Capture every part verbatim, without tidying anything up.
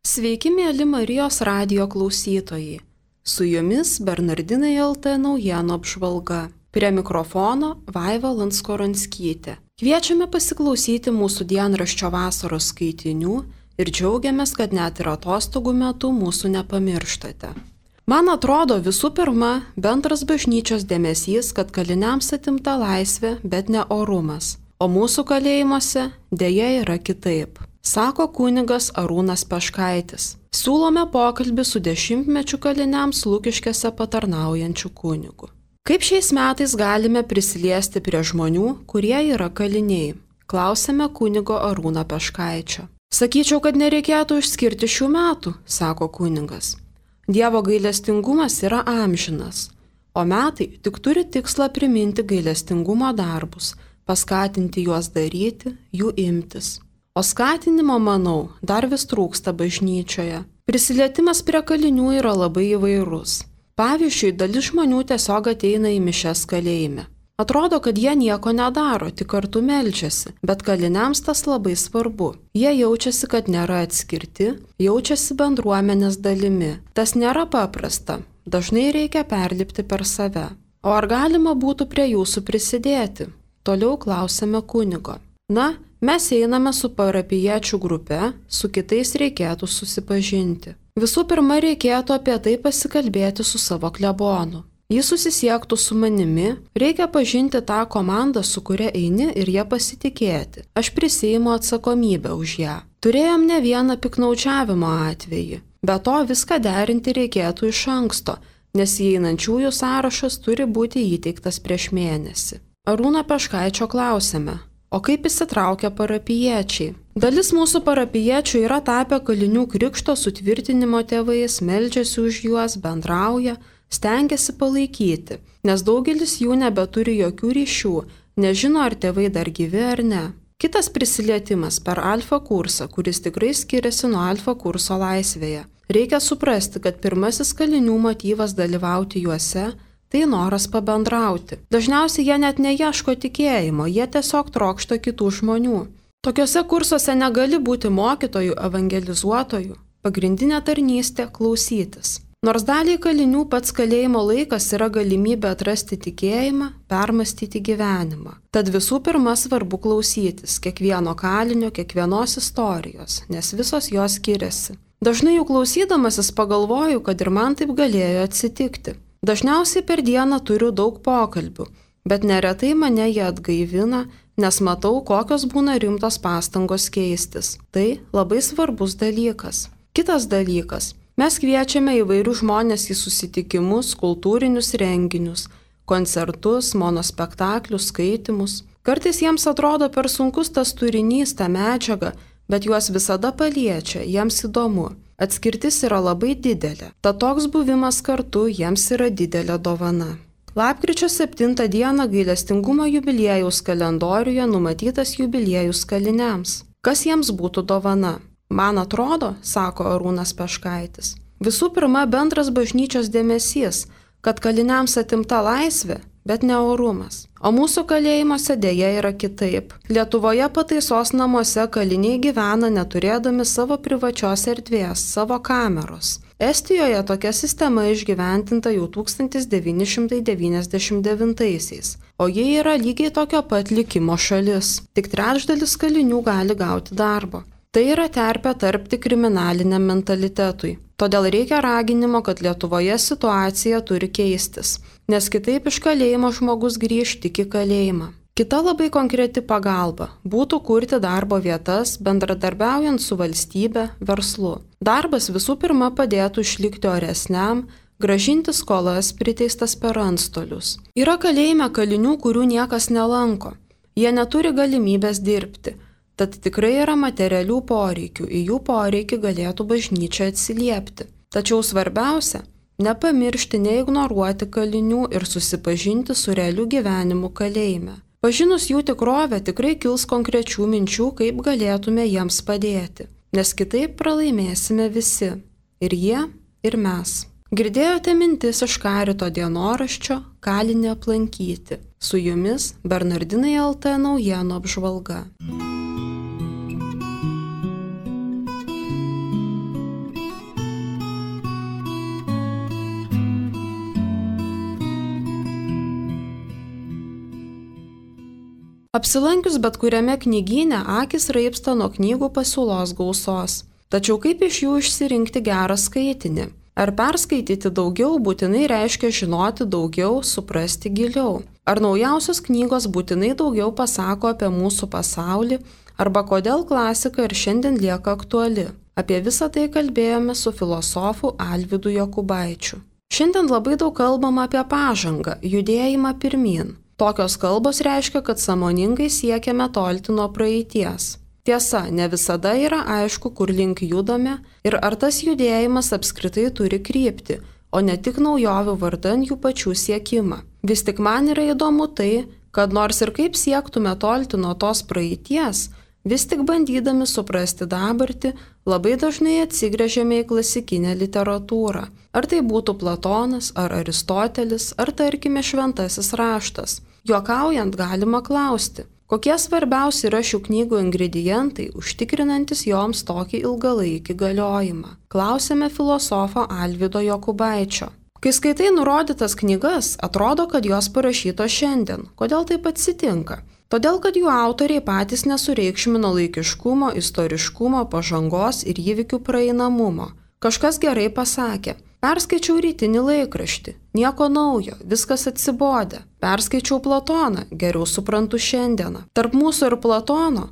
Sveiki, mėly Marijos radijo klausytojai. Su jumis Bernardinai L T naujienų apžvalga. Prie mikrofono Vaiva Lanskoranskytė. Kviečiame pasiklausyti mūsų dienraščio vasaros skaitinių ir džiaugiamės, kad net ir atostogų metu mūsų nepamirštate. Man atrodo, visų pirma, bendras bažnyčios dėmesys, kad kaliniams atimta laisvė, bet ne orumas. O mūsų kalėjimuose dėja yra kitaip, sako kunigas Arūnas Peškaitis. Siūlome pokalbį su dešimtmečių kaliniams Lukiškėse patarnaujančiu kunigu. Kaip šiais metais galime prisiliesti prie žmonių, kurie yra kaliniai? Klausėme kunigo Arūno Peškaičio. Sakyčiau, kad nereikėtų išskirti šių metų, sako kunigas. Dievo gailestingumas yra amžinas, o metai tik turi tikslą priminti gailestingumo darbus, paskatinti juos daryti, jų imtis. O skatinimo, manau, dar vis trūksta bažnyčioje. Prisilietimas prie kalinių yra labai įvairus. Pavyzdžiui, dalis žmonių tiesiog ateina į mišias kalėjime. Atrodo, kad jie nieko nedaro, tik kartu meldžiasi, bet kaliniams tas labai svarbu. Jie jaučiasi, kad nėra atskirti, jaučiasi bendruomenės dalimi. Tas nėra paprasta, dažnai reikia perlipti per save. O ar galima būtų prie jūsų prisidėti? Toliau klausėme kunigo. Na, mes einame su parapijiečių grupe, su kitais reikėtų susipažinti. Visų pirma, reikėtų apie tai pasikalbėti su savo klebonu. Jis susisiektų su manimi, reikia pažinti tą komandą, su kuria eini ir ją pasitikėti. Aš prisiimu atsakomybę už ją. Turėjom ne vieną piknaudžiavimo atvejį. Be to viską derinti reikėtų iš anksto, nes įeinančiųjų sąrašas turi būti įteiktas prieš mėnesį. Arūno Peškaičio klausėme, o kaip įsitraukia parapijiečiai? Dalis mūsų parapijiečių yra tapę kalinių krikšto sutvirtinimo tėvais, meldžiasi už juos, bendrauja, stengiasi palaikyti, nes daugelis jų nebeturi jokių ryšių, nežino, ar tėvai dar gyvi ar ne. Kitas prisilietimas per alfa kursą, kuris tikrai skiriasi nuo alfa kurso laisvėje. Reikia suprasti, kad pirmasis kalinių motyvas dalyvauti juose – tai noras pabendrauti. Dažniausiai jie net neieško tikėjimo, jie tiesiog trokšta kitų žmonių. Tokiuose kursuose negali būti mokytojų, evangelizuotojų. Pagrindinė tarnystė – klausytis. Nors daliai kalinių pats kalėjimo laikas yra galimybė atrasti tikėjimą, permastyti gyvenimą. Tad visų pirma svarbu klausytis kiekvieno kalinio, kiekvienos istorijos, nes visos jos skiriasi. Dažnai jų klausydamasis pagalvoju, kad ir man taip galėjo atsitikti. Dažniausiai per dieną turiu daug pokalbių, bet neretai mane jie atgaivina, nes matau, kokios būna rimtos pastangos keistis. Tai labai svarbus dalykas. Kitas dalykas. Mes kviečiame įvairių žmonės į susitikimus, kultūrinius renginius, koncertus, monospektaklius, skaitimus. Kartais jiems atrodo per sunkus tas turinys, ta medžiaga, bet juos visada paliečia, jiems įdomu. Atskirtis yra labai didelė, tad toks buvimas kartu jiems yra didelė dovana. Lapkričio septintą dieną gailestingumo jubiliejaus kalendoriuje numatytas jubiliejus kaliniams. Kas jiems būtų dovana? Man atrodo, sako Arūnas Peškaitis, visų pirma bendras bažnyčios dėmesys, kad kaliniams atimta laisvė, bet ne orumas. O mūsų kalėjimuose dėja yra kitaip. Lietuvoje pataisos namuose kaliniai gyvena neturėdami savo privačios erdvės, savo kameros. Estijoje tokia sistema išgyventinta jau tūkstantis devyni šimtai devyniasdešimt devintaisiais, o ji yra lygiai tokio pat likimo šalis. Tik trečdalis kalinių gali gauti darbo. Tai yra terpė tarpti kriminaliniam mentalitetui. Todėl reikia raginimo, kad Lietuvoje situacija turi keistis, nes kitaip iš kalėjimo žmogus grįž tik į kalėjimą. Kita labai konkreti pagalba būtų kurti darbo vietas, bendradarbiaujant su valstybe, verslu. Darbas visų pirma padėtų išlikti oresniam, grąžinti skolas priteistas per antstolius. Yra kalėjime kalinių, kurių niekas nelanko. Jie neturi galimybės dirbti. Tad tikrai yra materialių poreikių, į jų poreikį galėtų bažnyčia atsiliepti. Tačiau svarbiausia – nepamiršti, neignoruoti kalinių ir susipažinti su realiu gyvenimu kalėjime. Pažinus jų tikrovę tikrai kils konkrečių minčių, kaip galėtume jiems padėti, nes kitaip pralaimėsime visi – ir jie, ir mes. Girdėjote mintis iš Karito dienoraščio Kalinį aplankyti. Su jumis Bernardinai L T naujienų apžvalga. Apsilankius bet kuriame knygyne akis raipsta nuo knygų pasiūlos gausos. Tačiau kaip iš jų išsirinkti gerą skaitinį? Ar perskaityti daugiau būtinai reiškia žinoti daugiau, suprasti giliau? Ar naujausios knygos būtinai daugiau pasako apie mūsų pasaulį, arba kodėl klasika ir šiandien lieka aktuali? Apie visą tai kalbėjome su filosofu Alvydu Jokubaičiu. Šiandien labai daug kalbama apie pažangą, judėjimą pirmyn. Tokios kalbos reiškia, kad sąmoningai siekiame tolti nuo praeities. Tiesa, ne visada yra aišku, kur link judame ir ar tas judėjimas apskritai turi kryptį, o ne tik naujovių vardan jų pačių siekimą. Vis tik man yra įdomu tai, kad nors ir kaip siektume tolti nuo tos praeities, vis tik bandydami suprasti dabartį, labai dažnai atsigręžiame į klasikinę literatūrą. Ar tai būtų Platonas, ar Aristotelis, ar tarkime šventasis raštas. Juokaujant galima klausti, kokie svarbiausi yra šių knygų ingredientai, užtikrinantis joms tokį ilgalaikį galiojimą. Klausėme filosofo Alvydo Jokubaičio. Kai skaitai nurodytas knygas, atrodo, kad jos parašytos šiandien. Kodėl taip atsitinka? Todėl, kad jų autoriai patys nesureikšmino laikiškumo, istoriškumo, pažangos ir įvykių praeinamumo. Kažkas gerai pasakė. Perskaičiau rytinį laikraštį. Nieko naujo, viskas atsibodė. Perskaičiau Platoną, geriau suprantu šiandieną. Tarp mūsų ir Platono,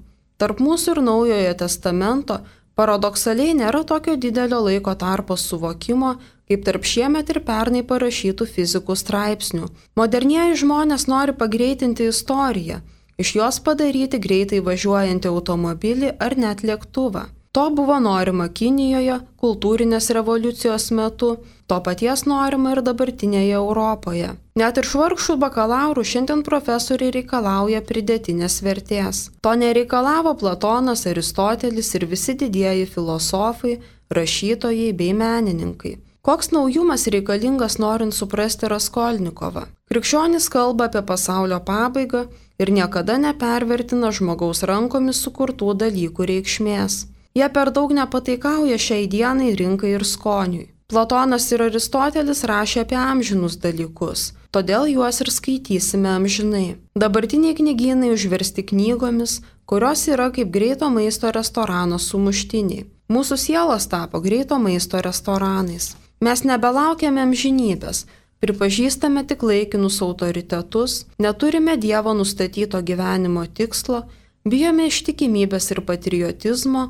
tarp mūsų ir Naujojo testamento paradoksaliai nėra tokio didelio laiko tarpo suvokimo, kaip tarp šiemet ir pernai parašytų fizikų straipsnių. Modernieji žmonės nori pagreitinti istoriją, iš jos padaryti greitai važiuojantį automobilį ar net lėktuvą. To buvo norima Kinijoje, kultūrinės revoliucijos metu, to paties norima ir dabartinėje Europoje. Net ir švarkšų bakalaurų šiandien profesoriai reikalauja pridėtinės vertės. To nereikalavo Platonas, Aristotelis ir visi didieji filosofai, rašytojai bei menininkai. Koks naujumas reikalingas norint suprasti Raskolnikovą? Krikščionys kalba apie pasaulio pabaigą ir niekada nepervertina žmogaus rankomis sukurtų dalykų reikšmės. Jie per daug nepataikauja šiai dienai rinkai ir skoniui. Platonas ir Aristotelis rašė apie amžinus dalykus, todėl juos ir skaitysime amžinai. Dabartiniai knygynai užversti knygomis, kurios yra kaip greito maisto restorano sumuštiniai. Mūsų sielos tapo greito maisto restoranais. Mes nebelaukiame amžinybės, pripažįstame tik laikinus autoritetus, neturime Dievo nustatyto gyvenimo tikslo, bijome ištikimybės ir patriotizmo,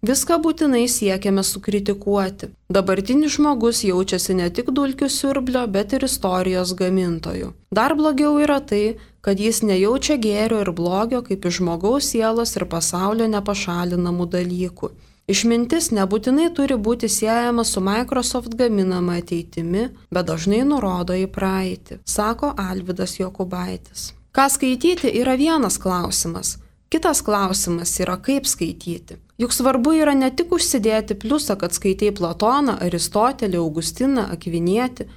viską būtinai siekiame sukritikuoti. Dabartinis žmogus jaučiasi ne tik dulkių siurblio, bet ir istorijos gamintojų. Dar blogiau yra tai, kad jis nejaučia gėrio ir blogio kaip iš žmogaus sielos ir pasaulio nepašalinamų dalykų. Išmintis nebūtinai turi būti siejama su Microsoft gaminama ateitimi, bet dažnai nurodo į praeitį, sako Alvydas Jokubaitis. Ką skaityti yra vienas klausimas. Kitas klausimas yra, kaip skaityti. Juk svarbu yra ne tik užsidėti pliusą, kad skaitai Platoną, Aristotelį, Augustiną, Akvinietį,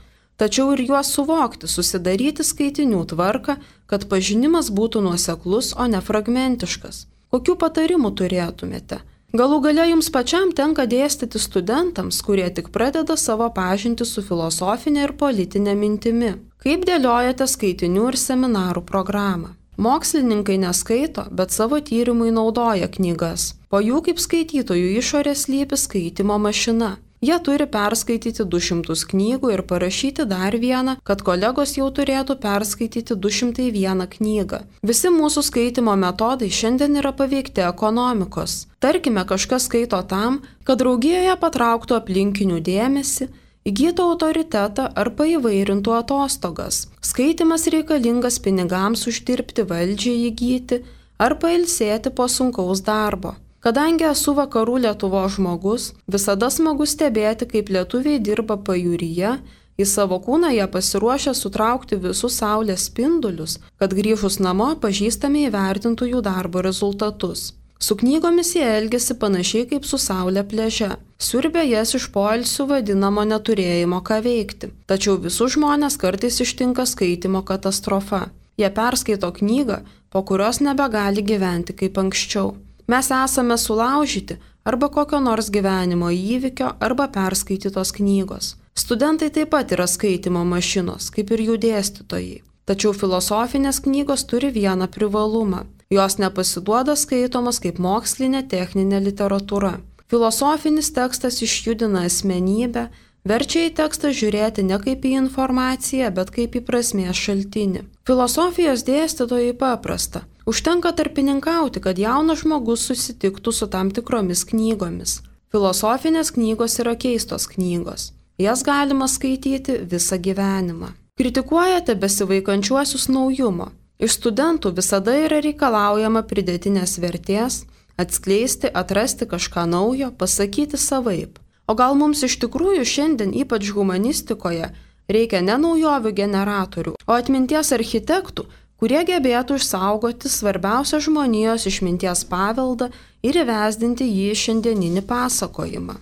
tačiau ir juos suvokti, susidaryti skaitinių tvarką, kad pažinimas būtų nuoseklus, o ne fragmentiškas. Kokių patarimų turėtumėte? Galų gale jums pačiam tenka dėstyti studentams, kurie tik pradeda savo pažintį su filosofinė ir politinė mintimi. Kaip dėliojate skaitinių ir seminarų programą? Mokslininkai neskaito, bet savo tyrimui naudoja knygas. Po jų kaip skaitytojų išorės slypi skaitimo mašina. Jie turi perskaityti du šimtus knygų ir parašyti dar vieną, kad kolegos jau turėtų perskaityti du šimtai vieną knygą. Visi mūsų skaitimo metodai šiandien yra paveikti ekonomikos. Tarkime, kažkas skaito tam, kad draugijoje patrauktų aplinkinių dėmesį, įgytų autoritetą ar paįvairintų atostogas. Skaitimas reikalingas pinigams uždirbti, valdžiai įgyti ar pailsėti po sunkaus darbo. Kadangi esu vakarų Lietuvos žmogus, visada smagu stebėti, kaip lietuviai dirba pajūryje, į savo kūną jie pasiruošę sutraukti visus saulės spindulius, kad grįžus namo pažįstami įvertintų jų darbo rezultatus. Su knygomis jie elgesi panašiai kaip su saulė pliaže. Siurbia jas iš poilsių vadinamo neturėjimo ką veikti. Tačiau visus žmonės kartais ištinka skaitimo katastrofa. Jie perskaito knygą, po kurios nebegali gyventi kaip anksčiau. Mes esame sulaužyti arba kokio nors gyvenimo įvykio arba perskaitytos knygos. Studentai taip pat yra skaitimo mašinos, kaip ir jų dėstytojai. Tačiau filosofinės knygos turi vieną privalumą. Jos nepasiduoda skaitomas kaip mokslinė techninė literatūra. Filosofinis tekstas išjudina asmenybę, verčia į tekstą žiūrėti ne kaip į informaciją, bet kaip į prasmės šaltinį. Filosofijos dėstytojai paprasta. Užtenka tarpininkauti, kad jaunas žmogus susitiktų su tam tikromis knygomis. Filosofinės knygos yra keistos knygos. Jas galima skaityti visą gyvenimą. Kritikuojate besivaikančiuosius naujumo. Iš studentų visada yra reikalaujama pridėtinės vertės, atskleisti, atrasti kažką naujo, pasakyti savaip. O gal mums iš tikrųjų šiandien, ypač humanistikoje, reikia ne naujovių generatorių, o atminties architektų, kurie gebėtų išsaugoti svarbiausią žmonijos išminties paveldą ir įvesdinti jį į šiandieninį pasakojimą.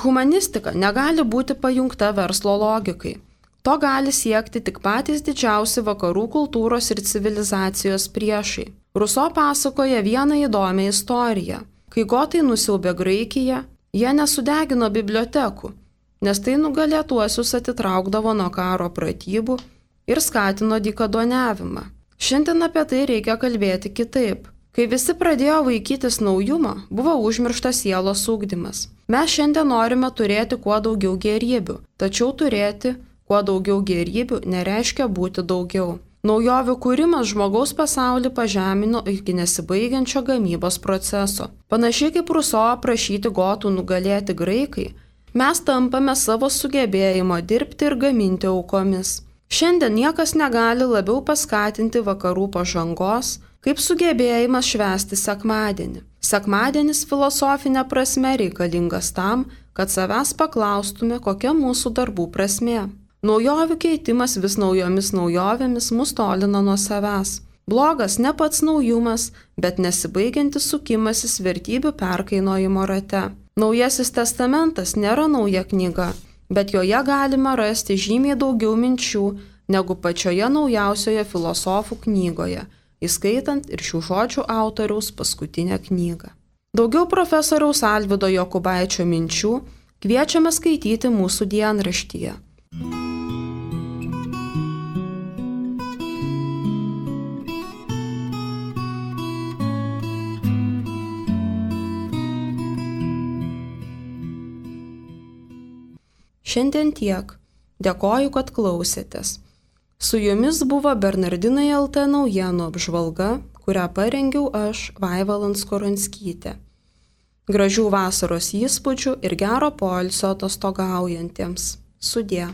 Humanistika negali būti pajungta verslo logikai. To gali siekti tik patys didžiausi vakarų kultūros ir civilizacijos priešai. Ruso pasakoja vieną įdomią istoriją. Kai gotai nusiaubė Graikiją, jie nesudegino bibliotekų, nes tai nugalėtuosius atitraukdavo nuo karo pratybų ir skatino dykaduoniavimą. Šiandien apie tai reikia kalbėti kitaip. Kai visi pradėjo vaikytis naujumo, buvo užmirštas sielos ugdymas. Mes šiandien norime turėti kuo daugiau gėrybių, tačiau turėti kuo daugiau gėrybių nereiškia būti daugiau. Naujovių kūrimas žmogaus pasaulį pažemino iki nesibaigiančio gamybos proceso. Panašiai kaip Ruso aprašyti gotų nugalėti graikai, mes tampame savo sugebėjimo dirbti ir gaminti aukomis. Šiandien niekas negali labiau paskatinti vakarų pažangos, kaip sugebėjimas švęsti sekmadienį. Sekmadienis filosofinė prasme reikalingas tam, kad savęs paklaustume, kokia mūsų darbų prasmė. Naujovių keitimas vis naujomis naujovėmis mus tolina nuo savęs. Blogas ne pats naujumas, bet nesibaigiantis sukimasis vertybių perkainojimo rate. Naujasis testamentas nėra nauja knyga, bet joje galima rasti žymiai daugiau minčių negu pačioje naujausioje filosofų knygoje, įskaitant ir šių žodžių autoriaus paskutinę knygą. Daugiau profesoriaus Alvydo Jokubaičio minčių kviečiame skaityti mūsų dienraštyje. Šiandien tiek. Dėkoju, kad klausėtės. Su jumis buvo Bernardinai L T naujienų apžvalga, kurią parengiau aš, Vaiva Landskoronskytė. Gražių vasaros įspūdžių ir gero poilsio atostogaujantiems. Sudie.